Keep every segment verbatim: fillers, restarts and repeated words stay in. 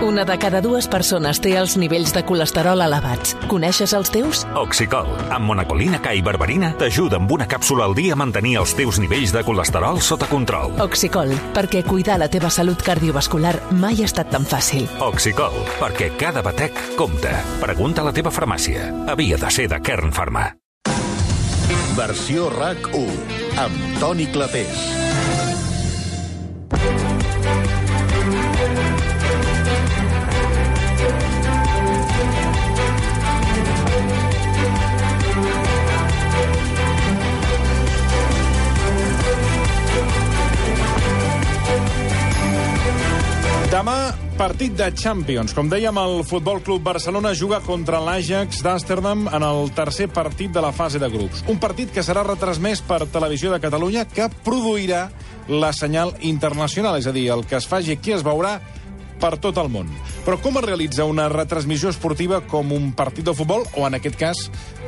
Una de cada dues persones té els nivells de colesterol elevats. Coneixes els teus? Oxicol, amb monacolina K i berberina, t'ajuda amb una càpsula al dia a mantenir els teus nivells de colesterol sota control. Oxicol, perquè cuidar la teva salut cardiovascular mai ha estat tan fàcil. Oxicol, perquè cada batec compta. Pregunta a la teva farmàcia. Havia de ser de Kern Pharma. Versió RAC u, amb Toni Clapés. Demà, partit de Champions. Com dèiem, el Futbol Club Barcelona juga contra l'Ajax d'Amsterdam en el tercer partit de la fase de grups. Un partit que serà retransmès per Televisió de Catalunya, que produirà la senyal internacional, és a dir, el que es faci aquí es veurà per tot el món. Però com es realitza una retransmissió esportiva com un partit de futbol, o en aquest cas,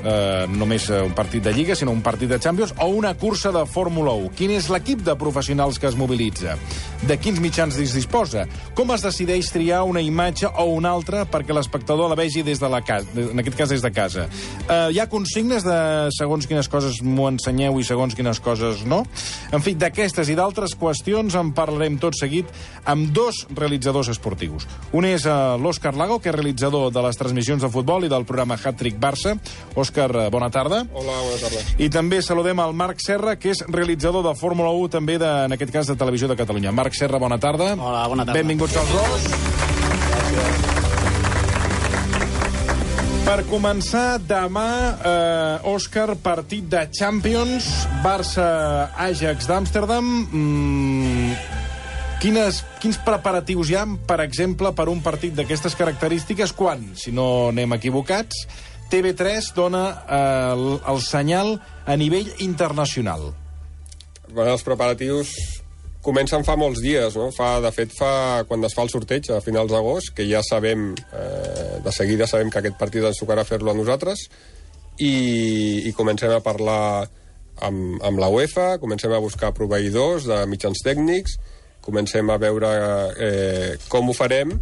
eh, només un partit de Lliga, sinó un partit de Champions, o una cursa de Fórmula u? Quin és l'equip de professionals que es mobilitza? De quins mitjans es disposa? Com es decideix triar una imatge o una altra perquè l'espectador la vegi des de la casa, en aquest cas des de casa? Eh, hi ha consignes de segons quines coses m'ho ensenyeu i segons quines coses no? En fi, d'aquestes i d'altres qüestions en parlarem tot seguit amb dos realitzadors esportius. Un és uh, l'Òscar Lago, que és realitzador de les transmissions de futbol i del programa Hat-Trick Barça. Òscar, uh, bona tarda. Hola, bona tarda. I també saludem al Marc Serra, que és realitzador de Fórmula u, també, de, en aquest cas, de Televisió de Catalunya. Marc Serra, bona tarda. Hola, bona tarda. Benvinguts als dos. Gràcies. Per començar, demà, eh, Òscar, partit de Champions, Barça-Ajax d'Amsterdam. Mm, quines, quins preparatius hi ha, per exemple, per un partit d'aquestes característiques, quan, si no anem equivocats, T V tres dona eh, el, el senyal a nivell internacional? Bueno, els preparatius comencen fa molts dies, no? Fa, de fet, fa quan es fa el sorteig, a finals d'agost, que ja sabem, eh, de seguida sabem que aquest partit ens tocarà fer-lo a nosaltres, i, i comencem a parlar amb, amb la UEFA, comencem a buscar proveïdors de mitjans tècnics, comencem a veure eh, com ho farem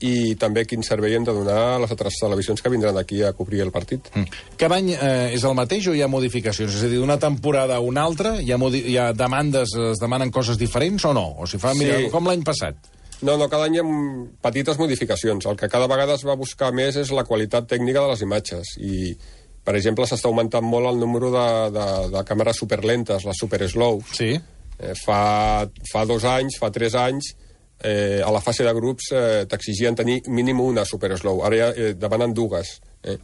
i també quin servei hem de donar a les altres televisions que vindran aquí a cobrir el partit. Mm. Cada any eh, és el mateix o hi ha modificacions? És a dir, d'una temporada a una altra, hi ha, hi ha demandes, es demanen coses diferents o no? O si fa, mira, Sí. com l'any passat? No, no, cada any hi ha petites modificacions. El que cada vegada es va buscar més és la qualitat tècnica de les imatges. I, per exemple, s'està augmentant molt el número de, de, de càmeres superlentes, les super slow. Sí. Eh, fa, fa dos anys, fa tres anys, eh, a la fase de grups eh, t'exigien tenir mínim una super slow. Ara ja eh, demanen dues. Eh?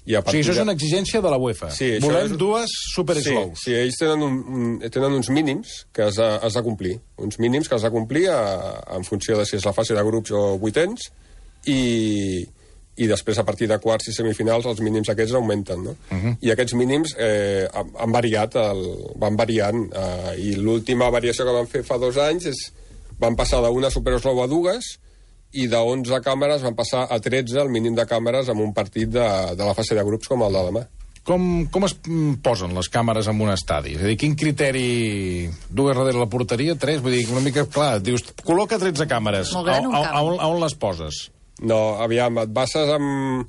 I a O sigui, això és de... una exigència de la UEFA. Sí, això Volem és... dues super slows. Sí, sí, ells tenen, un, un, tenen uns mínims que has de, has de complir. Uns mínims que has de complir a, en funció de si és la fase de grups o vuitens, i, i després, a partir de quarts i semifinals, els mínims aquests augmenten, no? Uh -huh. I aquests mínims eh, han variat, el, van variant, eh, i l'última variació que van fer fa dos anys és van passar d'una super slow a dues, i de onze càmeres van passar a tretze, el mínim de càmeres, en un partit de, de la fase de grups com el de demà. Com, com es posen les càmeres en un estadi? És a dir, quin criteri... Dues darrere la porteria, tres? Vull dir, una mica, clar, dius, col·loca tretze càmeres. Molt gran, un a, a, camp. a, on, a on les poses? No, aviam, et bases amb...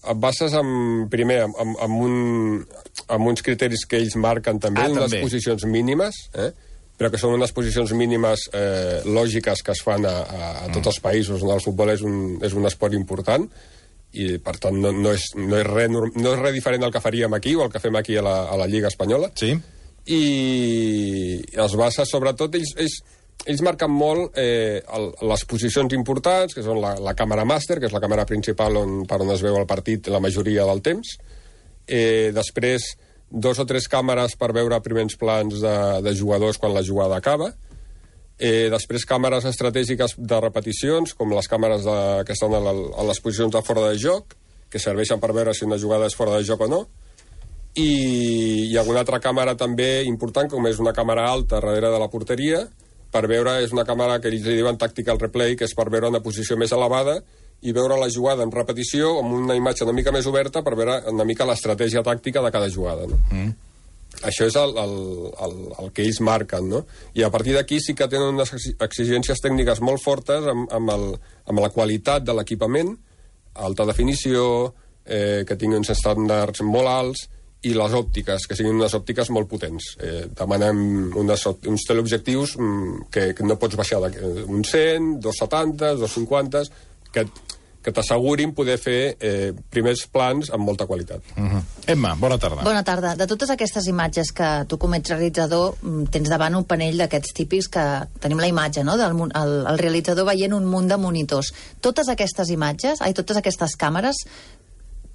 Et bases amb, primer, amb, amb, amb, un, amb uns criteris que ells marquen també, Ah, unes també. posicions mínimes, eh? però que són unes posicions mínimes eh, lògiques que es fan a, a, a tots els països on el futbol és un, és un esport important, i per tant no, no, és, no, és res, no és res diferent del que faríem aquí o el que fem aquí a la, a la Lliga Espanyola. Sí. I els bases, sobretot, ells, ells, ells marquen molt eh, el, les posicions importants, que són la, la càmera màster, que és la càmera principal on, per on es veu el partit la majoria del temps. Eh, després, dos o tres càmeres per veure primers plans de, de jugadors quan la jugada acaba. Eh, després, càmeres estratègiques de repeticions, com les càmeres de, que estan a, la, a les posicions de fora de joc, que serveixen per veure si una jugada és fora de joc o no. I hi ha alguna altra càmera també important, com és una càmera alta darrere de la porteria, per veure, és una càmera que ells li diuen tactical replay, que és per veure una posició més elevada i veure la jugada en repetició amb una imatge una mica més oberta per veure una mica l'estratègia tàctica de cada jugada. No? Mm. això és el, el, el, el que ells marquen, no? I a partir d'aquí sí que tenen unes exigències tècniques molt fortes amb, amb, el, amb la qualitat de l'equipament, alta definició, eh, que tinguin uns estàndards molt alts, i les òptiques, que siguin unes òptiques molt potents. Eh, demanem unes, uns teleobjectius que, que no pots baixar d'un cent, dos setanta, dos cinquanta, que, que t'assegurin poder fer eh, primers plans amb molta qualitat. Uh-huh. Emma, bona tarda. Bona tarda. De totes aquestes imatges que tu com ets realitzador tens davant un panell d'aquests típics que tenim la imatge, no?, del el, el realitzador veient un munt de monitors. Totes aquestes imatges, ai, totes aquestes càmeres,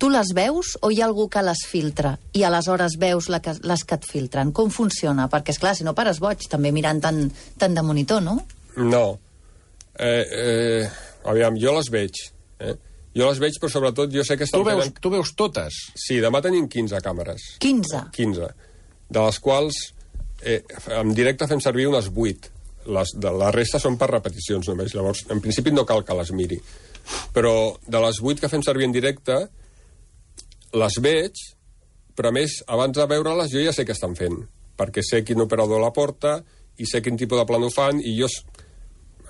tu les veus o hi ha algú que les filtra i aleshores veus la que, les que et filtren? Com funciona? Perquè, esclar, si no pares boig també mirant tant, tant de monitor, no? No. Eh, eh, aviam, jo les veig. Eh? Jo les veig, però sobretot jo sé que estan... Tu veus, fent... tu veus totes? Sí, demà tenim quinze càmeres. quinze? quinze. De les quals eh, en directe fem servir unes vuit. Les, de, la resta són per repeticions només. Llavors, en principi no cal que les miri. Però de les vuit que fem servir en directe, les veig, però a més, abans de veure-les, jo ja sé què estan fent, perquè sé quin operador la porta i sé quin tipus de plano fan, i jo,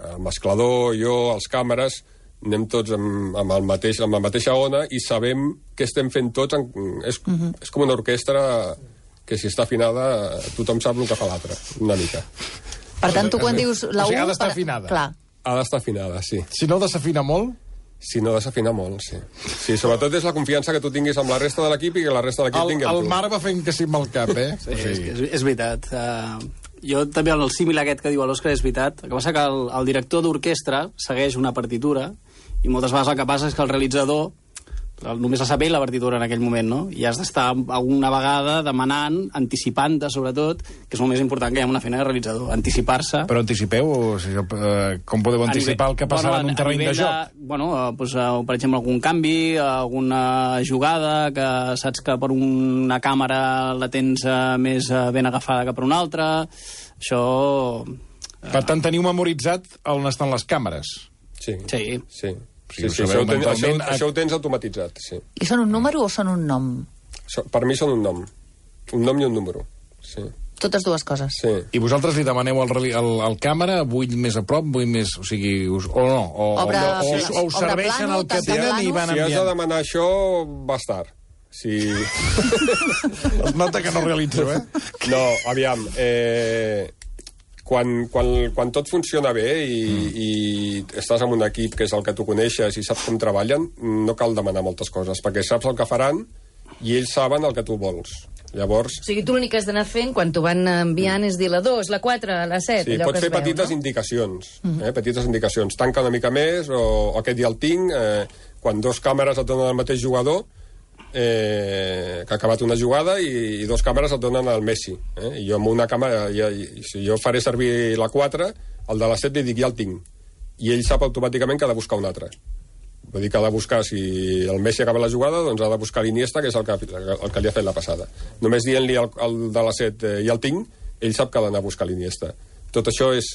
el mesclador, jo, els càmeres, anem tots amb, amb, el mateix, amb la mateixa ona i sabem què estem fent tots. En, és, uh-huh. és com una orquestra que, si està afinada, tothom sap el que fa l'altre, una mica. Per tant, tu quan dius la o sigui, U... ha d'estar per... afinada. Clar. Ha d'estar afinada, sí. Si no desafina molt... Si no desafina molt, sí. Sí, sobretot és la confiança que tu tinguis amb la resta de l'equip i que la resta de l'equip tingui amb el tu. El Marc va fent que sí amb el cap, eh? Sí, sí. És, és, és veritat. Uh, jo també, el símil aquest que diu l'Òscar és veritat. El que passa que el, el director d'orquestra segueix una partitura i moltes vegades el que passa és que el realitzador només la sap ell la partitura en aquell moment, no? I has d'estar alguna vegada demanant, anticipant-te, sobretot, que és el més important que hi ha una feina de realitzador, anticipar-se. Però anticipeu? O sigui, eh, com podeu anticipar nivell, el que passarà bueno, en un terreny de joc? De, bueno, eh, doncs, eh, per exemple, algun canvi, alguna jugada que saps que per una càmera la tens eh, més eh, ben agafada que per una altra. Això... Eh... Per tant, teniu memoritzat on estan les càmeres? Sí. Sí. Sí. Sí, sí, sí, això, ho ten, això, això ho tens automatitzat, sí. I són un número o són un nom? So, per mi són un nom. Un nom i un número, sí. Totes dues coses. Sí. I vosaltres li demaneu al, al, al càmera, vull més a prop, vull més... O sigui, us, o no, o, Obre, o, o, sí, o us serveixen plano, el que tenen i van si enviant. Si has de demanar això, va estar. Si... Es nota que no realitzeu, eh? No, aviam, eh... Quan, quan, quan tot funciona bé i, mm. i estàs en un equip que és el que tu coneixes i saps com treballen, no cal demanar moltes coses, perquè saps el que faran i ells saben el que tu vols. Llavors... O sigui, tu l'únic que has d'anar fent quan t'ho van enviant és dir la dos, la quatre, la set... Sí, allò pots que fer es petites veu, no? indicacions, mm-hmm. eh? petites indicacions. Tanca una mica més, o, o aquest dia el tinc, eh, quan dos càmeres et donen el mateix jugador, eh, que ha acabat una jugada i, i dos càmeres et donen el Messi. Eh? I jo amb una càmera, ja, si jo faré servir la quatre, el de la set li dic ja el tinc. I ell sap automàticament que ha de buscar un altre. Vull dir que ha de buscar, si el Messi acaba la jugada, doncs ha de buscar l'Iniesta, que és el que, el que li ha fet la passada. Només dient-li al, al de la set eh, ja el tinc, ell sap que ha d'anar a buscar l'Iniesta. Tot això és...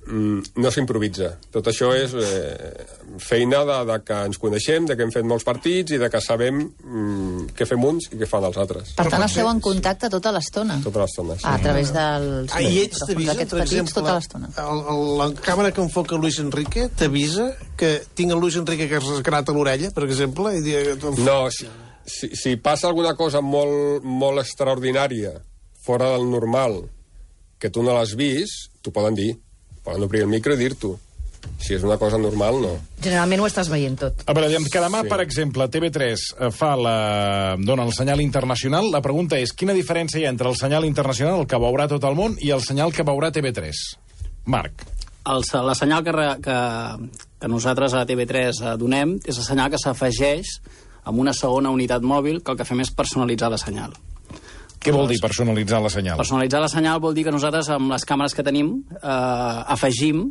Mm, no s'improvisa. Tot això és eh, feina de, de que ens coneixem, de que hem fet molts partits i de que sabem mm, què fem uns i què fan els altres. Per tant, esteu en contacte tota l'estona. Tota l'estona, sí. A través dels... Ah, i ells t'avisen, per exemple, tota l'estona. El, el, la càmera que enfoca Luis Enrique t'avisa que tinc el Luis Enrique que es resgrata l'orella, per exemple? I dir... No, si, si, si passa alguna cosa molt, molt extraordinària, fora del normal, que tu no l'has vist, t'ho poden dir. Poden obrir el micro i dir-t'ho. Si és una cosa normal, no. Generalment ho estàs veient tot. A veure, que demà, Sí. per exemple, T V tres fa la... dona el senyal internacional. La pregunta és, quina diferència hi ha entre el senyal internacional, el que veurà tot el món, i el senyal que veurà T V tres? Marc. El, la senyal que, re, que, que nosaltres a T V tres donem és la senyal que s'afegeix amb una segona unitat mòbil, que el que fem és personalitzar la senyal. Què vol dir personalitzar la senyal? Personalitzar la senyal vol dir que nosaltres, amb les càmeres que tenim, eh, afegim,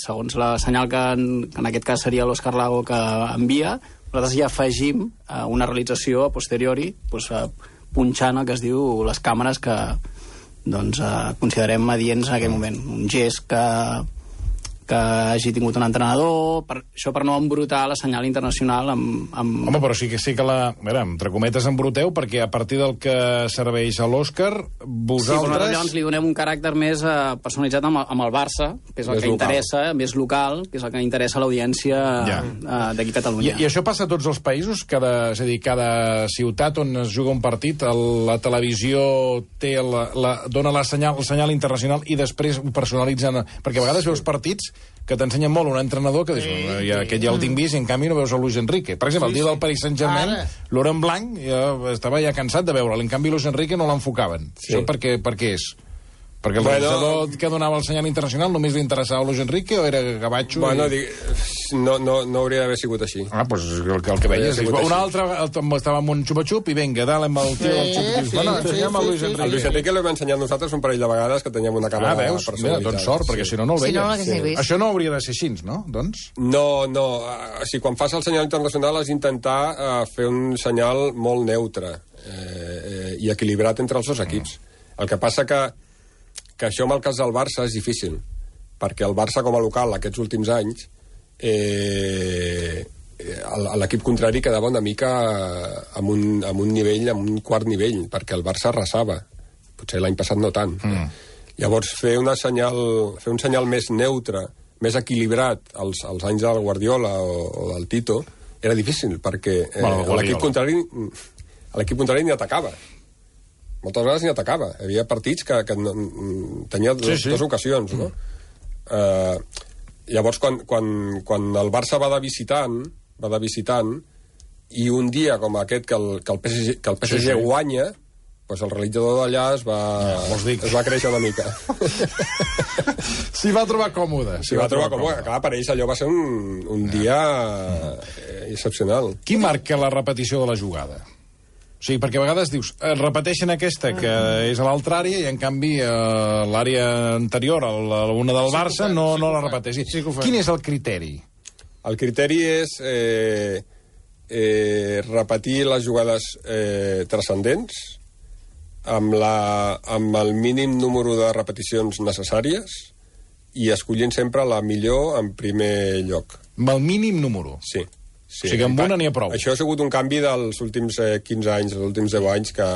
segons la senyal que en, que en aquest cas seria l'Òscar Lago que envia, nosaltres hi afegim eh, una realització a posteriori, doncs, eh, punxant el que es diu les càmeres que doncs, eh, considerem adients en aquell moment. Un gest que, que hagi tingut un entrenador, per, això per no embrutar la senyal internacional amb... amb... Home, però sí que sí que la... Mira, entre cometes embruteu, perquè a partir del que serveix a l'Òscar, vosaltres... Sí, però llavors li donem un caràcter més eh, personalitzat amb, amb el Barça, que és el més que local. interessa, més local, que és el que interessa a l'audiència ja. eh, d'aquí a Catalunya. I, I això passa a tots els països? Cada, és a dir, cada ciutat on es juga un partit, el, la televisió té la, la, dona la senyal, el senyal internacional i després ho personalitzen... Perquè a vegades veus partits que t'ensenyen molt un entrenador que dius, sí, ja, aquest ja el tinc vist i en canvi no veus el Luis Enrique. Per exemple, sí, el dia del Paris Saint-Germain, Laurent Blanc ja estava ja cansat de veure'l, en canvi Luis Enrique no l'enfocaven. Sí. Això per què, per què és? Perquè el bueno, realitzador que donava el senyal internacional només li interessava Luis Enrique o era Gabacho? Bueno, i... dic, no, no, no hauria d'haver sigut així. Ah, doncs pues el, el que veies. Un altre estava amb un xupa-xup i vinga, dale amb el tio del xup-xup. Sí, bueno, ensenyem sí, el Luis Enrique. El Luis Enrique l'hem ensenyat nosaltres un parell de vegades que teníem una càmera ah, veus? Mira, doncs sort, sí. perquè si no no el veies. Si no, no sí. Això no hauria de ser així, no? Doncs? No, no. O sigui, quan fas el senyal internacional has d'intentar uh, fer un senyal molt neutre eh, eh, i equilibrat entre els dos equips. Mm. El que passa que que això amb el cas del Barça és difícil, perquè el Barça com a local aquests últims anys eh, l'equip contrari quedava una mica amb un, amb un nivell, amb un quart nivell, perquè el Barça arrasava, potser l'any passat no tant. Mm. Llavors fer, una senyal, fer un senyal més neutre, més equilibrat als, als anys del Guardiola o, o del Tito era difícil, perquè eh, bueno, l'equip contrari l'equip contrari ni atacava. Moltes vegades ni atacava. Hi havia partits que, que no, tenia dos, sí, sí. dues ocasions, no? Mm. Uh, llavors, quan, quan, quan el Barça va de visitant, va de visitant, i un dia com aquest que el, que el P S G, que el P S G sí, sí. guanya, doncs el realitzador d'allà es va, ja, es va créixer una mica. S'hi va trobar còmode. S'hi va, va trobar còmode. Clar, per ells allò va ser un, un dia eh, excepcional. Qui marca la repetició de la jugada? O sigui, perquè a vegades dius, repeteixen aquesta que és a l'altra àrea i en canvi a l'àrea anterior, a una del Barça, no, no la repeteix. Sí, quin és el criteri? El criteri és eh, eh, repetir les jugades eh, transcendents amb, la, amb el mínim número de repeticions necessàries i escollint sempre la millor en primer lloc. Amb el mínim número? Sí. Sí, o sigui, amb una n'hi ha prou. Això ha sigut un canvi dels últims eh, quinze anys, dels últims deu anys, que,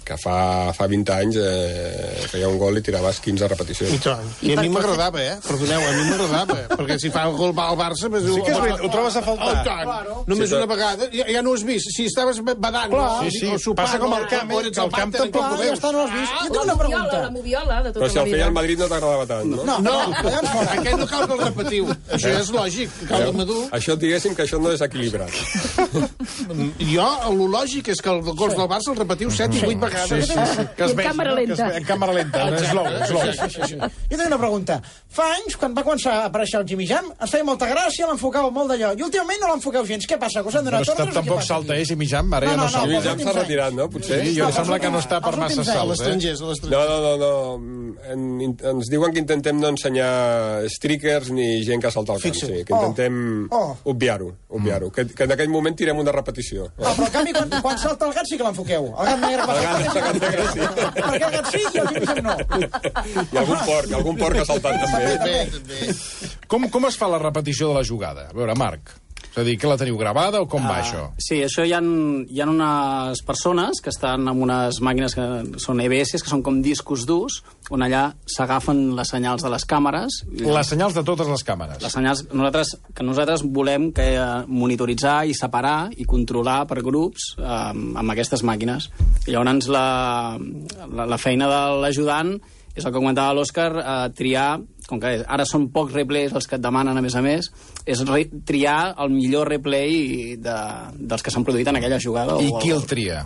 que fa, fa vint anys eh, feia un gol i tiraves quinze repeticions. I, I, I a mi m'agradava, eh? Perdoneu, a mi m'agradava. Perquè si fa el gol al Barça... Pues, sí que és veritat, ho trobes a faltar. Oh, claro. Només sí, una vegada, ja, ja no ho has vist. Si estaves badant... Clar, sí, sí. O sopant, passa com el camp, eh, que el camp tampoc ho veus. Ja no ho has vist. Jo tinc una pregunta. La moviola, de tota Però si el feia el Madrid no t'agradava tant, no? No, no, aquest no cal que el repetiu. Això és lògic, cal de madur. Això, diguéssim que això no és equilibrat. Jo, el lògic és que el gols del Barça el repetiu set i vuit vegades. Sí, sí. Que es vegi, càmera lenta. En càmera lenta, no és slow, slow. Sí, sí, sí. Jo tinc una pregunta. Fa anys, quan va començar a aparèixer el Jimmy Jam, ens feia molta gràcia, l'enfocava molt d'allò. I últimament no l'enfoqueu gens. Què passa? Que us han donat torres o què passa? Tampoc salta, eh, Jimmy Jam? Ara ja no salta. Jimmy Jam s'ha retirat, no? Potser? Sí, jo em sembla que no està per massa salts, eh? No, no, no, no. En, ens diuen que intentem no ensenyar streakers ni gent que salta al camp, sí. Que intentem obviar-ho, obviar-ho. Que, que en aquell moment tirem una repetició. Ah, però en canvi, quan, quan salta el gat sí que l'enfoqueu. El gat negre... El gat negre sí. Perquè el gat sí i el Jimmy Jam no. I algun porc, algun porc ha saltat també. Com, com es fa la repetició de la jugada? A veure, Marc, és a dir, que la teniu gravada o com uh, va això? Sí, això hi ha, hi ha unes persones que estan amb unes màquines que són E B S, que són com discos durs, on allà s'agafen les senyals de les càmeres. Les senyals de totes les càmeres. Les senyals nosaltres, que nosaltres volem que monitoritzar i separar i controlar per grups eh, amb aquestes màquines. I llavors la, la, la feina de l'ajudant és el que comentava l'Òscar, eh, triar, com que ara són pocs replays els que et demanen, a més a més, és re triar el millor replay de, dels que s'han produït en aquella jugada. I qui el tria?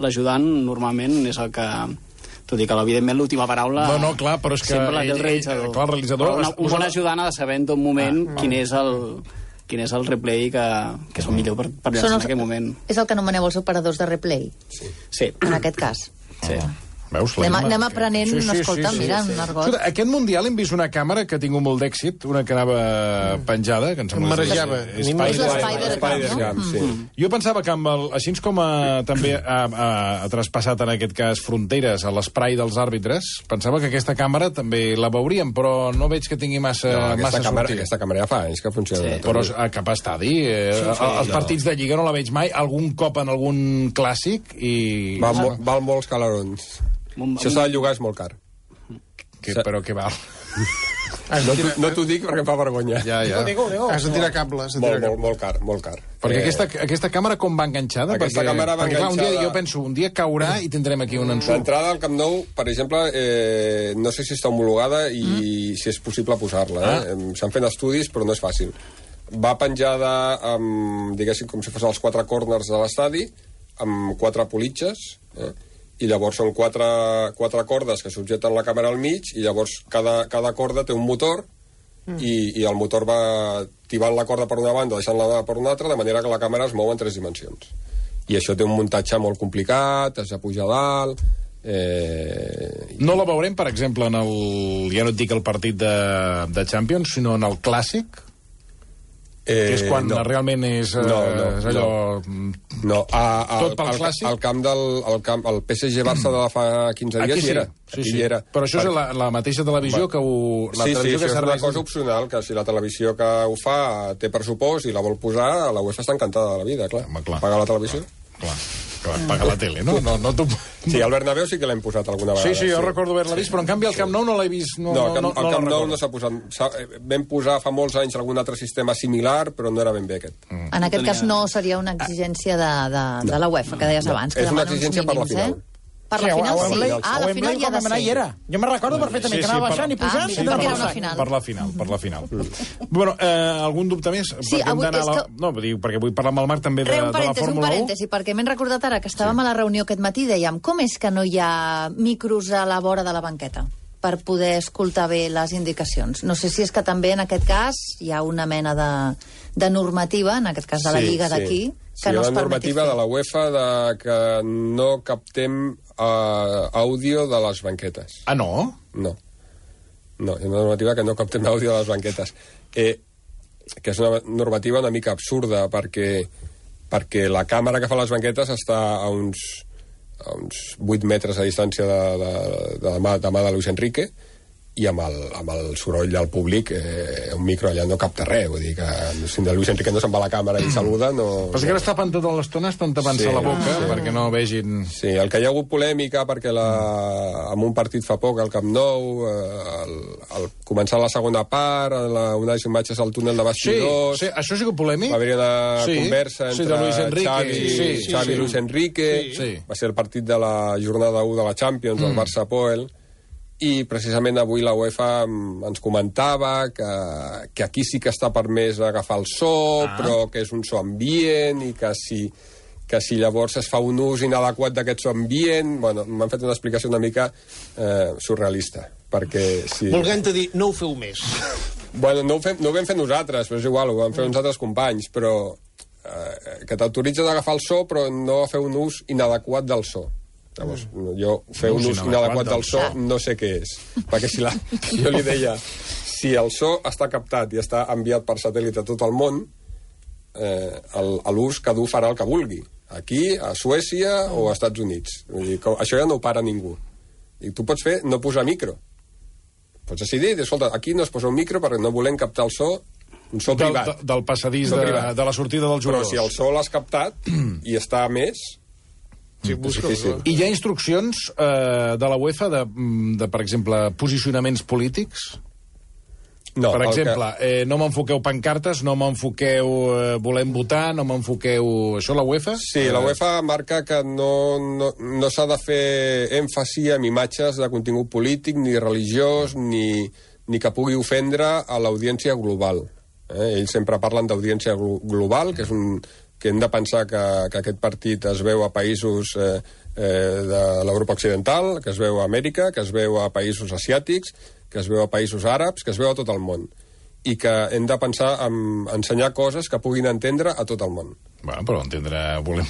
L'ajudant normalment és el que... Tot i que, evidentment, l'última paraula... No, no, clar, però és que... Sempre la té el realitzador. Clar, el realitzador... Una, un bon ajudant ha de saber en tot moment ah, quin és el... quin és el replay que, que és el millor per, per llançar en aquell moment. És el que anomeneu els operadors de replay? Sí. Sí. En aquest cas? Sí. Ah. Veus, anem, l'Emma? anem aprenent, Sí, sí, escolta, sí, sí, mira, sí. un argot. Escolta, aquest Mundial hem vist una càmera que ha tingut molt d'èxit, una que anava penjada, que em sembla... Em marejava. És A mi És l'Spider-Cam, Spider-Cam, no? sí. Mm. Jo pensava que amb el, així com a, també ha, ha, ha traspassat en aquest cas fronteres a l'esprai dels àrbitres, pensava que aquesta càmera també la veuríem, però no veig que tingui massa, No, aquesta, massa càmera, sortida. aquesta càmera ja fa anys que funciona. Sí, però a cap estadi, eh, sí, sí, els no. partits de Lliga no la veig mai, algun cop en algun clàssic i... Val, mo, val molts calarons. Això s'ha de llogar, és molt car. Que, però què val? No, t'ho- no t'ho dic perquè em fa vergonya. Ja, ja. Digo, digo, Has de tirar cable. Has de Molt, tirar molt, cable. molt car, molt car. Perquè Eh, aquesta, aquesta càmera com va enganxada? Aquesta perquè, càmera va perquè, clar, un dia, enganxada- jo penso, un dia caurà i tindrem aquí un ensurt. L'entrada al Camp Nou, per exemple, eh, no sé si està homologada i mm. si és possible posar-la. Eh? Ah. S'han fet estudis, però no és fàcil. Va penjada, amb, diguéssim, com si fos els quatre corners de l'estadi, amb quatre politxes, eh? i llavors són quatre, quatre cordes que subjeten la càmera al mig, i llavors cada, cada corda té un motor, mm. i, i el motor va tibant la corda per una banda, deixant-la per una altra, de manera que la càmera es mou en tres dimensions. I això té un muntatge molt complicat, has de pujar a dalt... Eh... No la veurem, per exemple, en el... ja no et dic el partit de, de Champions, sinó en el Clàssic, Eh, que és quan no. realment és, eh, no, no, és allò... No, no a, a, Tot pel al, Clàssic? al camp del al camp, el P S G Barça de fa quinze dies Aquí hi sí, era. sí, Aquí sí. hi era. Però això és la, la mateixa televisió que ho... La sí, sí, televisió això que és una serveix... cosa opcional, que si la televisió que ho fa té pressupost i la vol posar, la UEFA està encantada de la vida, clar. Home, clar. Pagar la televisió. Clar, clar, paga la tele, no? no, no tu... Sí, al Bernabéu sí que l'hem posat alguna vegada. Sí, sí, jo recordo haver-la vist, però en canvi al Camp Nou no l'he vist. No, No, al Camp, no, no, al no Camp la Nou recordo. no s'ha posat... s'ha- Vam posar fa molts anys algun altre sistema similar, però no era ben bé aquest. Mm. En aquest cas no seria una exigència de, de, de la UEFA, que deies No, abans, que és una demana uns exigència per la mínims, final. eh? Per Sí, la a- final a sí. Wembley- Ah, a la Wembley final hi ha quan de vam anar hi ser. era. Jo me'n recordo perfectament, que anava per- baixant i pujant. Ah, i sí, anava perquè era una passant. final. Per la final, per la final. Mm. Bueno, eh, algun dubte més? Sí, Perquè hem avui d'anar és a la... que- No, dic, perquè vull parlar amb el Marc també de, Re, un de la parèntesi, un Fórmula u. parèntesi, perquè m'he recordat ara que estàvem a la reunió aquest matí i dèiem com és que no hi ha micros a la vora de la banqueta per poder escoltar bé les indicacions. No sé si és que també en aquest cas hi ha una mena de, de normativa, en aquest cas de la Sí, Lliga sí. d'aquí, Sí, que hi ha no es una permeti normativa fer. de la UEFA de que no captem uh, àudio de les banquetes. Ah, no? No. No, hi ha una normativa que no captem àudio de les banquetes. Eh, que és una normativa una mica absurda, perquè, perquè la càmera que fa les banquetes està a uns, a uns vuit metres a distància de, de, de, de, mà, de mà de Luis Enrique, i amb el, amb el soroll del públic eh, un micro allà no capta res, vull dir que si de Luis Enrique no se'n va a la càmera i saluda no... Però és que ara es tapen tota l'estona, estan tapant-se Sí, la boca sí. perquè no vegin... Sí, el que hi ha hagut polèmica perquè la, en un partit fa poc al Camp Nou, eh, el, el, començar la segona part, la, unes imatges al túnel de Sí, bastidors, sí, això ha sigut polèmic? va haver una Sí, conversa sí, entre de Luis Enrique, Xavi, sí, sí, Xavi sí. i Luis Enrique, Sí. va ser el partit de la jornada u de la Champions, mm. el Barça-Poel, i precisament avui la UEFA mm, ens comentava que, que aquí sí que està permès agafar el so, ah. però que és un so ambient i que si, que si llavors es fa un ús inadequat d'aquest so ambient... Bueno, m'han fet una explicació una mica eh, surrealista, perquè si... Volguent-te dir, no ho feu més. Bueno, no ho, fem, no ho vam fer nosaltres, però és igual, ho van fer uns altres companys, però eh, que t'autoritzen a agafar el so, però no a fer un ús inadequat del so. Llavors, jo fer un ús inadequat del so no sé què és, perquè si la, jo li deia si el so està captat i està enviat per satèl·lit a tot el món, eh, l'ús cada un farà el que vulgui, aquí, a Suècia o als Estats Units. Vull dir, que això ja no ho para ningú, i tu pots fer no posar micro, pots decidir, escolta, aquí no es posa un micro perquè no volem captar el so, un so Del, privat, del passadís So de, privat. de la sortida dels però jugadors. si el so l'has captat i està a més, Sí, és busca, difícil. I hi ha instruccions eh, de la UEFA de, de, per exemple, posicionaments polítics? No, per el exemple, que... eh, no m'enfoqueu pancartes, no m'enfoqueu eh, volem votar, no m'enfoqueu... Això la UEFA? Sí, la UEFA marca que no, no, no s'ha de fer èmfasi en imatges de contingut polític, ni religiós, ni, ni que pugui ofendre a l'audiència global. Eh? Ells sempre parlen d'audiència glo global, que és un... que hem de pensar que, que aquest partit es veu a països eh, eh, de l'Europa Occidental, que es veu a Amèrica, que es veu a països asiàtics, que es veu a països àrabs, que es veu a tot el món. I que hem de pensar en ensenyar coses que puguin entendre a tot el món. Bueno, però entendre... Volem...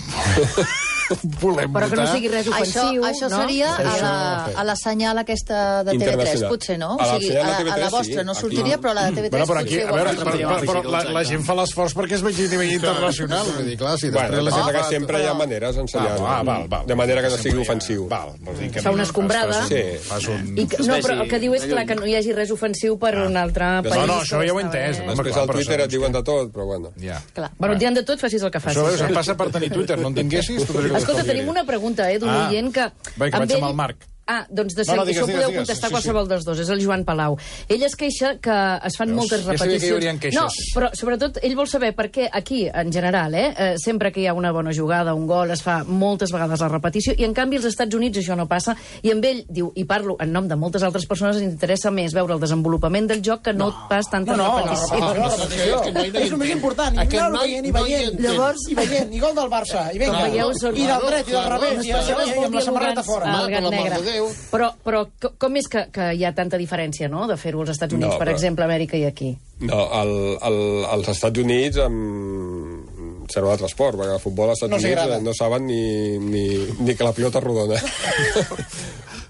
volem Però que no votar. sigui res ofensiu, Això, això no? seria a la, a la senyal aquesta de T V tres, potser, no? O sigui, a, a la vostra no sortiria, però a la de T V tres bueno, però aquí, potser... a veure, per, per, però la, la gent fa l'esforç perquè es vegi a nivell internacional. Vull dir, clar, si després Bueno, la passa gent que fa... sempre hi ha maneres d'ensenyar, Ah, val, val. de manera que no sigui ofensiu. Val, vol dir que Fa una escombrada. Sí. fas un... I que, no, però el que diu és clar que no hi hagi res ofensiu per un altre país. No, no, això ja ho he entès. Eh? Després al Twitter et diuen de tot, però bueno. Ja. Clar. Bueno, et diran de tot, facis el que facis. Això veus, em passa per tenir Twitter, no en tinguessis? Escolta, tenim una pregunta, eh, d'un Ah. oient que... Va, que vaig amb el Marc. Ah, doncs de No, no, seguida, digues, això digues, podeu digues. contestar Sí, sí. qualsevol dels dos, és el Joan Palau. Ell es queixa que es fan Veus? moltes Ja sabia que repeticions. hi haurien queixes. No, però sobretot ell vol saber per què aquí, en general, eh, eh, sempre que hi ha una bona jugada, un gol, es fa moltes vegades la repetició, i en canvi als Estats Units això no passa, i amb ell, diu, i parlo en nom de moltes altres persones, ens interessa més veure el desenvolupament del joc que no, no pas tanta No, no, repetició. la repetició. És el més important. I Aquest anar-ho noi veient i no hi veient. entén. Llavors, i veient, i gol del Barça. I vinga, Com veieu, són- i del dret, i del Claro, revés, i, i, i, i amb la samarreta fora. Ah, Home, el per gat l'amor negre. de Déu. Però, però co- com és que, que hi ha tanta diferència, no?, de fer-ho als Estats Units, No, per però- exemple, a Amèrica i aquí? No, el, el, als Estats Units amb serà un altre esport, perquè el futbol als Estats No Units s'agrada. no saben ni, ni, ni que la pilota és rodona.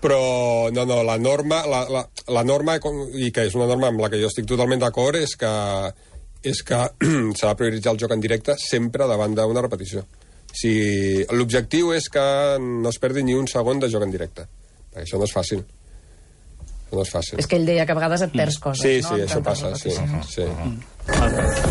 Però, no, no, la norma, la, la, la norma, i que és una norma amb la que jo estic totalment d'acord, és que, és que s'ha de prioritzar el joc en directe sempre davant d'una repetició. Si l'objectiu és que no es perdi ni un segon de joc en directe, perquè això no és fàcil. Això no és fàcil. És que ell deia que a vegades et perds coses, Sí, no? sí, amb això tantes passa, sí. repeticions. sí.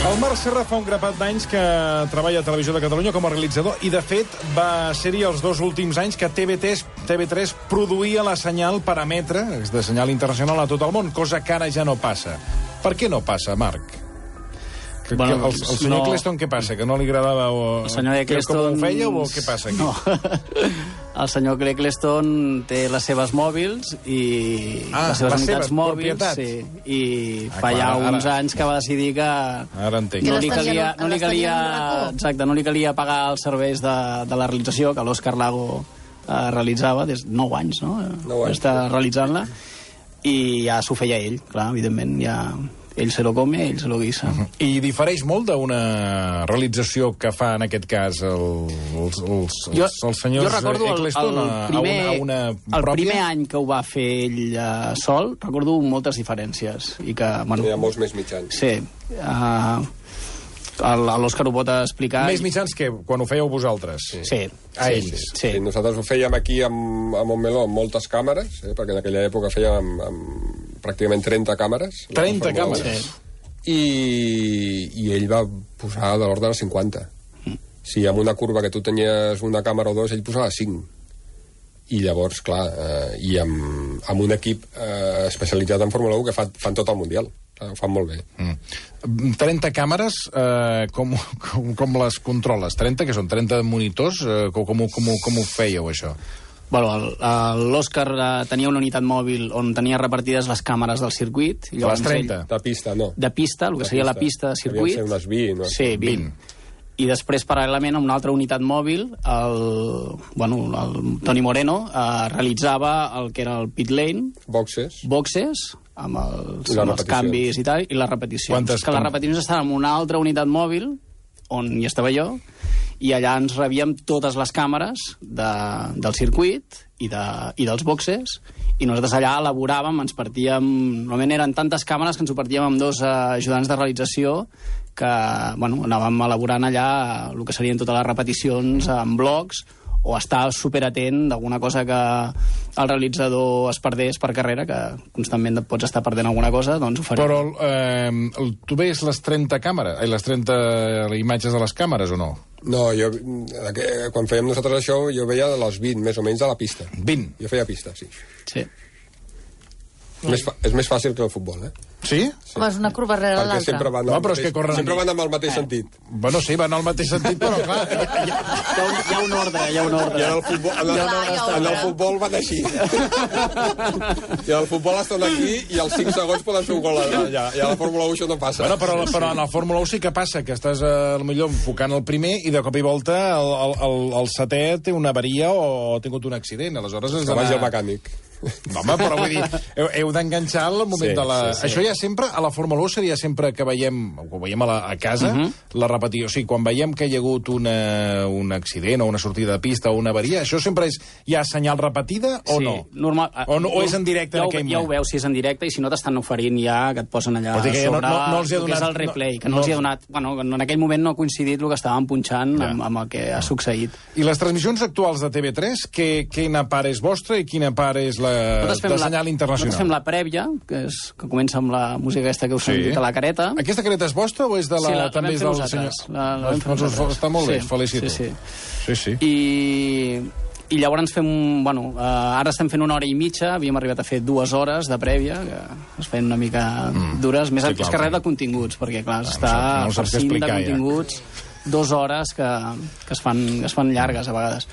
El Marc Serra fa un grapat d'anys que treballa a Televisió de Catalunya com a realitzador i, de fet, va ser-hi els dos últims anys que T V tres, T V tres produïa la senyal per emetre, de senyal internacional, a tot el món, cosa que ara ja no passa. Per què no passa, Marc? Que, Bueno, que el, el senyor no- Eccleston què passa? Que no li agradava o... El senyor Eccleston... Com ho feia o què passa aquí? No. El senyor Eccleston té les seves mòbils i Ah, les seves les unitats seves, mòbils, propietat. sí, i Ah, fa ja clar, ara- uns anys que va decidir que Ara entenc. no Que li les calia, tenia- no li les tenia calia, en un racó. exacte, no li calia pagar els serveis de, de la realització que l'Òscar Lago eh, realitzava des de nou anys, no? Nou anys. Està realitzant-la i ja s'ho feia ell, clar, evidentment, ja ell se lo come, ell se lo guisa. Uh -huh. I difereix molt d'una realització que fa, en aquest cas, el, els, els, Jo, els, els senyors jo recordo el, Eccleston el primer, a una, a una el pròpia? primer any que ho va fer ell uh, sol, recordo moltes diferències. I que, bueno, Hi ha molts més mitjans. sí, uh, l'Òscar ho pot explicar. Més mitjans que quan ho fèieu vosaltres. Sí, sí, A sí, ells. Sí, sí. Sí, nosaltres ho fèiem aquí amb, a Montmeló amb moltes càmeres, eh, perquè en aquella època fèiem amb, amb pràcticament trenta càmeres. la trenta Fórmula u. càmeres. Sí. I, i ell va posar de l'ordre de cinquanta. Si amb una curva que tu tenies una càmera o dos, ell posava cinc. I llavors, clar, eh, i amb, amb un equip eh, especialitzat en Fórmula u que fa, fan tot el Mundial. Clar, ho fan molt bé. Mm. trenta càmeres, eh, com, com, com les controles? trenta, que són trenta monitors? Eh, com, com, ho- com, ho- com ho fèieu, això? Bueno, el- el- l'Òscar eh, tenia una unitat mòbil on tenia repartides les càmeres del circuit. I llavors Les trenta? De pista, no. Ell, de pista, el que De seria la pista. pista de circuit. Devien ser unes vint, no? Sí, vint. I després, paral·lelament, amb una altra unitat mòbil, el, bueno, el Toni Moreno eh, realitzava el que era el pit lane, Boxes. boxes, amb els, I les amb els repeticions. canvis i tal, i les repeticions. Quantes- que les repeticions estaven en una altra unitat mòbil, on hi estava jo, i allà ens rebíem totes les càmeres de, del circuit i, de, i dels boxes, i nosaltres allà elaboràvem, ens partíem... Normalment eren tantes càmeres que ens ho partíem amb dos eh, ajudants de realització que, bueno, anàvem elaborant allà el que serien totes les repeticions en blocs, o estar superatent d'alguna cosa que el realitzador es perdés per carrera, que constantment et pots estar perdent alguna cosa, doncs ho farem. Però eh, el- tu veies les trenta càmeres, eh, les trenta imatges de les càmeres o no? No, jo, eh, quan fèiem nosaltres això, jo veia les vint, més o menys, de la pista. vint? Jo feia pista, sí. Sí. Més fa, és més fàcil que el futbol, eh? Sí? Sí. Home, és una curva rere Perquè l'altra. sempre van, No, al però és mateix, que corren- sempre van amb el mateix sentit. Bueno, sí, van al mateix sentit, però clar... Hi ha un, hi ha un ordre, hi ha un ordre. I en el futbol, en el, Clar, hi ha en el ordre. futbol van així. I en el futbol estan aquí i als cinc segons poden fer un gol allà. I a la Fórmula u això no passa. Bueno, però, però en la Fórmula u sí que passa, que estàs eh, millor enfocant el primer i de cop i volta el, el, el, el setè té una avaria o ha tingut un accident. Aleshores has Que vagi el d'anar... mecànic. Home, però vull dir, heu, heu d'enganxar el moment Sí, de la... sí, sí. Això ja sempre, a la Fórmula u seria sempre que veiem, o que veiem a, la, a casa, Mhm. la repetició. O sigui, quan veiem que hi ha hagut una, un accident o una sortida de pista o una avaria, això sempre és ja senyal repetida o Sí, no? normal, O no- o és en directe ja en ho, aquell ja ho moment? veus si és en directe i si no t'estan oferint ja que et posen allà Vol dir que ja no- sobre no- no els hi ha el que és donat- el replay, no- que no, no- els hi ha donat... Bueno, en aquell moment no ha coincidit el que estàvem punxant Ja. amb, amb el que ha succeït. I les transmissions actuals de T V tres, que, quina part és vostra i quina part és la Nosaltres fem de la- senyal internacional? Nosaltres fem la prèvia, que, és, que comença amb la música aquesta que us Sí. hem dit a la careta. Aquesta careta és vostra o és de la, Sí, la- la també vam és fer del nosaltres. senyor? La- la vam fer Doncs us- nosaltres. Està molt bé, Sí, felicito. sí, sí. Sí, sí. I, i llavors fem... un- Bueno, uh, ara estem fent una hora i mitja, havíem arribat a fer dues hores de prèvia, que es feien una mica Mm. dures, més Sí, sí, clar, és que res clar. de continguts, perquè clar, no està sap- no saps què farcint de explicar, ja. continguts dues hores que, que, es fan, que es fan llargues a vegades.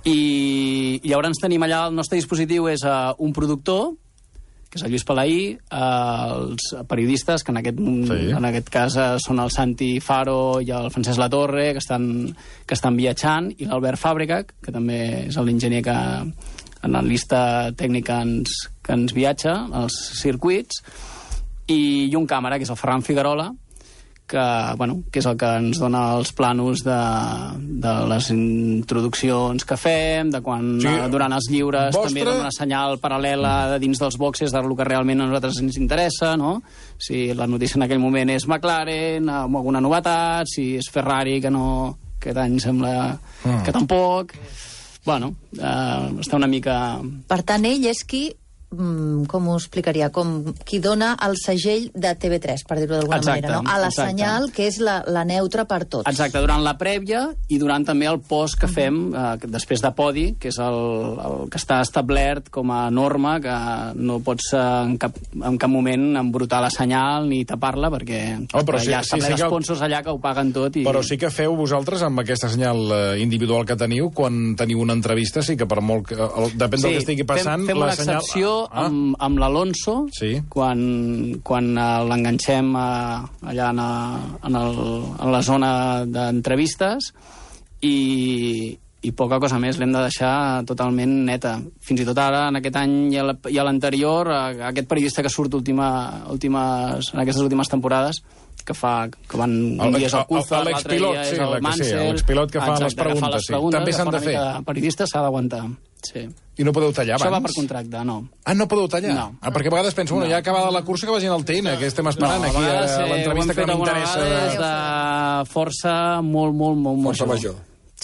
I, i llavors tenim allà, el nostre dispositiu és uh, un productor, que és el Lluís Palaí, eh, els periodistes, que en aquest, Sí. en aquest cas eh, són el Santi Faro i el Francesc Latorre, que estan, que estan viatjant, i l'Albert Fàbrega, que també és l'enginyer que analista tècnic que ens, que ens viatja als circuits, i, i un càmera, que és el Ferran Figuerola, que, bueno, que és el que ens dona els planos de, de les introduccions que fem, de quan Sí, sí, durant els lliures vostre- també dona una senyal paral·lela de dins dels boxes del que realment a nosaltres ens interessa, no? Si la notícia en aquell moment és McLaren, amb alguna novetat, si és Ferrari, que no aquest any sembla Mm. que tampoc... Bueno, eh, està una mica... Per tant, ell és qui, mm, com ho explicaria, com qui dona el segell de T V tres, per dir-ho d'alguna Exacte, manera, no? A la exacte. senyal, que és la, la neutra per tots. Exacte, durant la prèvia i durant també el post que fem eh, que després de podi, que és el, el que està establert com a norma, que no pots eh, en, cap, en cap moment embrutar la senyal ni tapar-la, perquè Oh, però eh, sí- hi ha sí, sí sí, que el- sponsors allà que ho paguen tot. I... Però sí que feu vosaltres amb aquesta senyal eh, individual que teniu, quan teniu una entrevista, sí que per molt que... El, depèn del que estigui passant... fem, fem la una senyal... excepció Ah, amb, amb l'Alonso, Sí. quan, quan eh, l'enganxem eh, allà en, a, en, el, en la zona d'entrevistes, i, i poca cosa més, l'hem de deixar totalment neta. Fins i tot ara, en aquest any i a la- i a l'anterior, eh, aquest periodista que surt última, últimes, en aquestes últimes temporades, que fa que van un El- dia és el el- Coulthard, el- l'altre l'expilot, dia és sí, el la que sí, Mansell. l'expilot que fa Exacte, les que fa preguntes, les sí. preguntes, També que s'han fa de una fer. mica de periodista s'ha d'aguantar. Sí. I no podeu tallar abans? Això va per contracte, no. Ah, no podeu tallar? No. Ah, perquè a vegades penso, bueno, No. ja acabada la cursa que vagin al T N, que estem esperant a aquí vegades, a eh, l'entrevista ho hem que fet m'interessa. alguna vegada des de força molt, molt, molt, molt Força jove. major.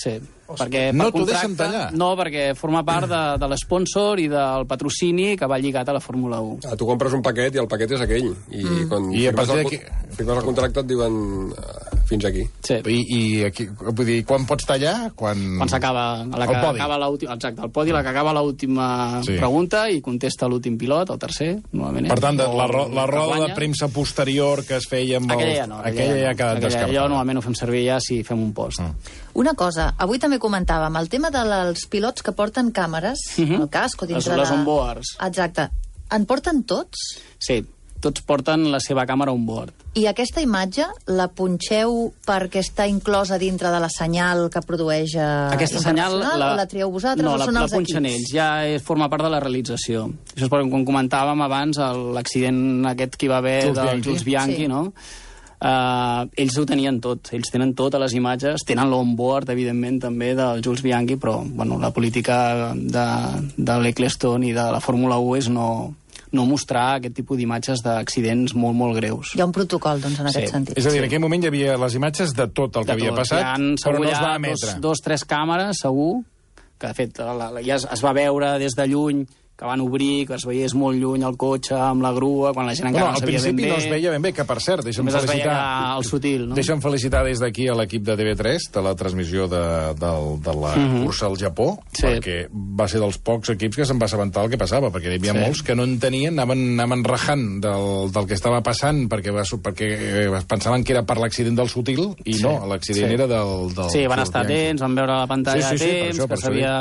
Sí, perquè No per t'ho deixen contracte... tallar? No, perquè forma part de, de l'esponsor i del patrocini que va lligat a la Fórmula u. Ah, tu compres un paquet i el paquet és aquell. I mm. quan I a firmes, partir el, d'aquí- firmes el contracte et diuen uh, fins aquí. Sí. I, i aquí, vull dir, quan pots tallar? Quan, Quan s'acaba la que El podi. acaba l'última, exacte, el podi, la que acaba l'última Sí. pregunta i contesta l'últim pilot, el tercer, normalment. Per tant, de, o la, ro el la que roda de guanya. premsa posterior que es feia amb Aquella el... ja no. aquella ja ha quedat aquella, descartada. allò normalment ho fem servir ja si fem un post. Mm. Una cosa, avui també comentàvem, el tema dels pilots que porten càmeres, Mhm. el casco Les, dintre les de... onboards. Exacte. En porten tots? Sí, tots porten la seva càmera on board. I aquesta imatge la punxeu perquè està inclosa dintre de la senyal que produeix eh, Aquesta senyal internacional, o la trieu vosaltres no, o la, són la els punxen equips? ells, ja és, forma part de la realització. Això és perquè, com comentàvem abans, el- l'accident aquest que hi va haver Jules del Bianchi. Jules Bianchi, Sí. no? Uh, ells ho tenien tot, ells tenen totes les imatges, tenen l'onboard, evidentment, també del Jules Bianchi, però bueno, la política de, de l'Eccleston i de la Fórmula u és no, no mostrar aquest tipus d'imatges d'accidents molt, molt greus. Hi ha un protocol, doncs, en Sí. aquest sentit. És a dir, Sí. en aquell moment hi havia les imatges de tot el que De havia tot. passat, Hi ha, però segur, no hi es va ha emetre. dos, dos, tres càmeres, segur, que de fet la, la, ja es, es va veure des de lluny que van obrir, que es veiés molt lluny el cotxe amb la grua, quan la gent encara bueno, no sabia ben bé. Al principi no es veia ben bé, que per cert, deixa'm Només felicitar... es veia el sutil, no? Deixa'm felicitar des d'aquí a l'equip de T V tres, de la transmissió de, de, de la mm-hmm. cursa al Japó, sí. perquè va ser dels pocs equips que se'n va assabentar el que passava, perquè hi havia sí. molts que no entenien, anaven, anaven rajant del, del que estava passant, perquè, va, perquè pensaven que era per l'accident del sutil, i sí. no, l'accident sí. era del... del sí, van estar atents, van veure la pantalla sí, sí, sí, a temps, això, que s'havia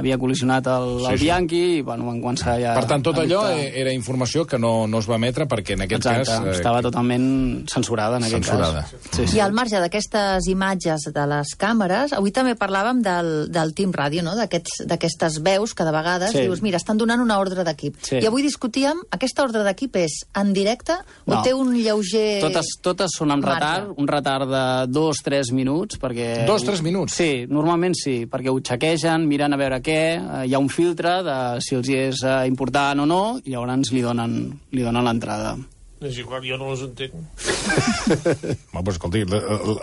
havia col·lisionat el, sí, el Bianchi, i bueno, van començar ja... Per tant, tot allò era informació que no, no es va emetre perquè en aquest Exacte, cas... Eh, estava totalment censurada en aquest censurada. cas. Sí, sí. I al marge d'aquestes imatges de les càmeres, avui també parlàvem del, del Team Ràdio, no? d'aquestes veus que de vegades sí. dius, mira, estan donant una ordre d'equip. Sí. I avui discutíem, aquesta ordre d'equip és en directe o no. té un lleuger... Totes, totes són amb retard, un retard de dos, tres minuts, perquè... Dos, tres minuts? Sí, normalment sí, perquè ho xequegen, miren a veure què, hi ha un filtre de si els hi és important o no, i llavors li donen, li donen l'entrada. És igual, jo no les entenc. Home, pues, escolti,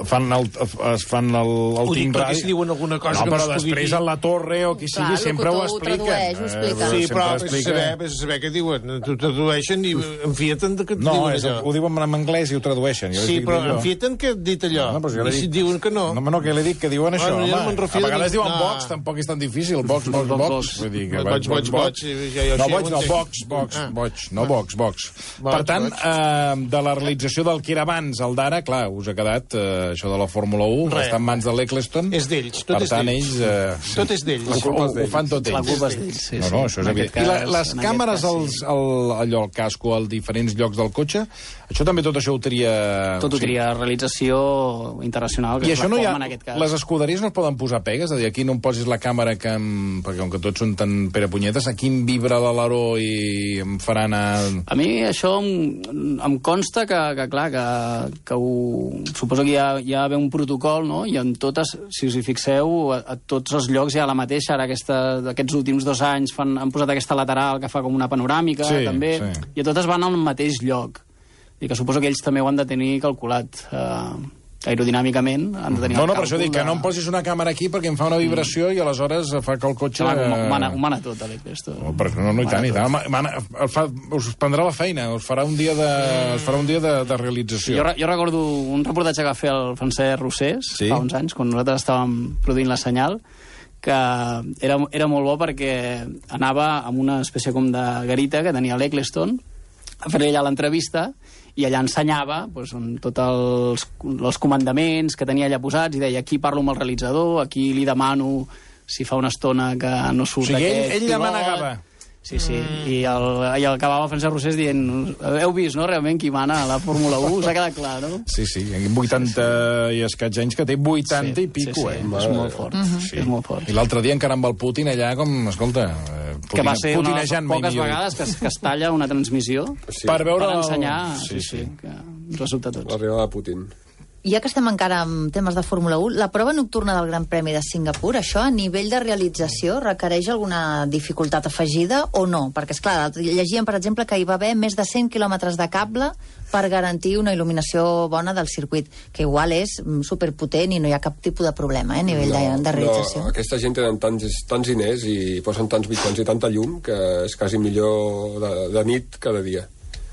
fan el, es fan el, el ho dic perquè ràdio. si diuen alguna cosa no, que però no es pugui després dir... a la torre o qui sigui, Clar, sempre ho expliquen. expliquen. Ho explica. Sí, però sempre és saber, és saber què diuen. T'ho tradueixen i enfieten que et no, diuen és, allò. ho diuen en anglès i ho tradueixen. Jo sí, però enfieten que et dit allò. No, I si et diuen que no... No, no, que l'he dit que diuen això, bueno, home. No a vegades diuen no. box, tampoc és tan difícil. Box, box, box. Vull dir que boig, boig, boig. No, boig, no, box, box, boig. No, box, box. Per tant, de la realització del que era abans, el d'ara, clar, us ha quedat eh, això de la Fórmula u, Re. està en mans de l'Eccleston. És d'ells, tot per és tant, d'ells. ells... Eh, tot és d'ells. Ho, ho, ho fan tot ells. La culpa és d'ells, sí. No, no, això és evident. I la, les càmeres, els, el, allò, el casco, als diferents llocs del cotxe, això també tot això ho tria... Tot ho tria realització internacional, que I és això la no hi ha, forma en aquest cas. les escuderies no es poden posar pegues? És a dir, aquí no em posis la càmera que... Em, perquè com que tots són tan perepunyetes, aquí em vibra l'aleró i em farà anar... A mi això em, em consta que, que clar, que, que ho, suposo que hi ha, hi ha un protocol, no? I en totes, si us hi fixeu, a, a tots els llocs hi ha la mateixa. Ara aquesta, aquests últims dos anys fan, han posat aquesta lateral que fa com una panoràmica, sí, també, sí. i a totes van al mateix lloc. I que suposo que ells també ho han de tenir calculat. Eh, aerodinàmicament han de tenir no, el no, per això dic que no em posis una càmera aquí perquè em fa una vibració mm. i aleshores fa que el cotxe... Clar, ho mana, ho mana tot, l'Eccleston. No, no, no, i tant, i tant. Mana, fa, us prendrà la feina, us farà un dia de, us farà un dia de, de realització. Jo, jo recordo un reportatge que va fer el Francesc Rossés sí? fa uns anys, quan nosaltres estàvem produint la senyal, que era, era molt bo perquè anava amb una espècie com de garita que tenia l'Eccleston a fer allà l'entrevista i allà ensenyava doncs, tots els, els comandaments que tenia allà posats i deia aquí parlo amb el realitzador, aquí li demano si fa una estona que no surt o sigui, aquest ell, ell demanava. Sí, sí, mm. I, el, i el acabava Francesc Rossés dient heu vist, no, realment, qui mana a la Fórmula u? Us ha quedat clar, no? Sí, sí, vuitanta sí, sí. i escaig anys que té vuitanta sí, i pico, sí, sí. eh? És molt fort, uh -huh. sí. és molt fort. I l'altre dia encara amb el Putin allà, com, escolta... Putin, que va ser una de les poques millor. vegades que, que es talla una transmissió sí. per, veure per ensenyar, el... sí, sí, sí, que ens resulta a tots. L'arribada de Putin. Ja que estem encara en temes de Fórmula u, la prova nocturna del Gran Premi de Singapur, això a nivell de realització requereix alguna dificultat afegida o no? Perquè, esclar, llegíem, per exemple, que hi va haver més de cent quilòmetres de cable per garantir una il·luminació bona del circuit, que igual és superpotent i no hi ha cap tipus de problema, eh, a nivell no, de, de realització. No, aquesta gent tenen tants, tants diners i posen tants mitjans i tanta llum que és quasi millor de, de nit que de dia.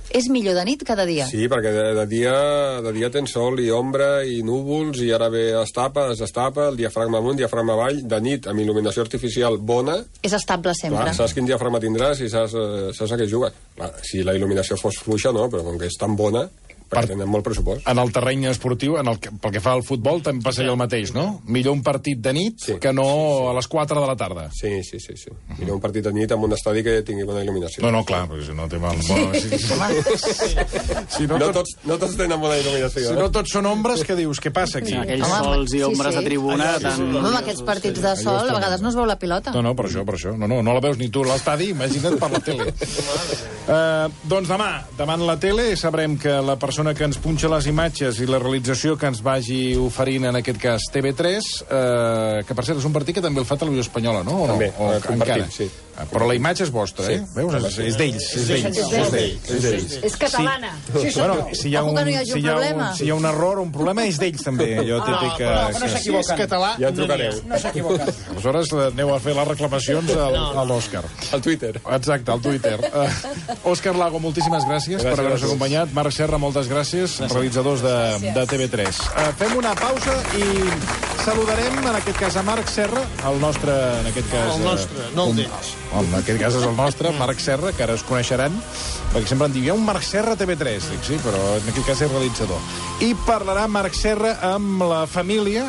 És millor de nit cada dia? Sí, perquè de, de, dia, de dia tens sol i ombra i núvols i ara ve es tapa, es destapa, el diafragma amunt, diafragma avall, de nit, amb il·luminació artificial bona... És estable sempre. Clar, saps quin diafragma tindràs i saps, saps a què jugues. Clar, si la il·luminació fos fluixa, no, però com que és tan bona... Per, perquè tenen molt pressupost. En el terreny esportiu, en el, pel que fa al futbol, també passaria el mateix, no? Millor un partit de nit sí, que no sí, sí. a les quatre de la tarda. Sí, sí, sí. sí. Uh-huh. Millor un partit de nit amb un estadi que tingui bona il·luminació. No, no, clar, perquè si no té mal... Bueno, sí, sí, sí. Si no, no, tots, no tots tenen bona il·luminació. Si no tots són ombres, què dius? Què passa aquí? Sí, aquells home, sols i ombres sí, sí. a tribuna... Sí, sí. Tan... Home, amb aquests partits de sol, a vegades no es veu la pilota. No, no, per això, per això. No, no, no la veus ni tu a l'estadi, imagina't per la tele. uh, doncs demà, davant la tele, sabrem que la persona que ens punxa les imatges i la realització que ens vagi oferint, en aquest cas, T V tres, eh, que per cert és un partit que també el fa Televisió Espanyola, no? O també, no? O, un partit, sí. Però la imatge és vostra, eh? Veus? És, és d'ells, és d'ells. És d'ells. És d'ells. És catalana. Sí, bueno, si hi ha Ojo un, que no hi hagi un si hi ha problema. un, si hi ha un error o un problema, és d'ells també. Jo típic que... no s'equivoquen. Si és català, Ja trucareu. No s'equivoquen. Aleshores aneu a fer les reclamacions al, a l'Òscar. Al Twitter. Exacte, al Twitter. Uh, Òscar Lago, moltíssimes gràcies, gràcies per haver-nos acompanyat. Marc Serra, moltes gràcies, gràcies. realitzadors de, de T V tres. Uh, fem una pausa i saludarem, en aquest cas, a Marc Serra, el nostre, en aquest cas... El nostre, no el d'ells. En aquest cas és el nostre, Marc Serra, que ara es coneixeran, perquè sempre em diu, hi ha un Marc Serra a T V tres. Dic, sí, però en aquest cas és realitzador. I parlarà Marc Serra amb la família,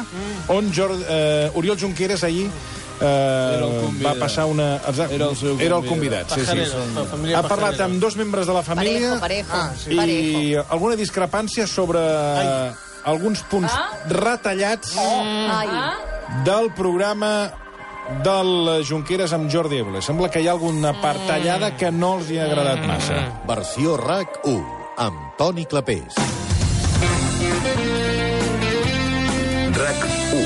on Jordi, eh, Oriol Junqueras ahir eh, va passar una... Exacte, Era el seu Era el convidat. convidat, sí, sí. Pajarero, família Ha parlat Pajarero. amb dos membres de la família Parejo, parejo. Ah, sí. i alguna discrepància sobre Ai. alguns punts retallats Ai. del programa del Junqueras amb Jordi Évole. Sembla que hi ha alguna part tallada que no els hi ha agradat massa. Versió RAC u, amb Toni Clapés. RAC u.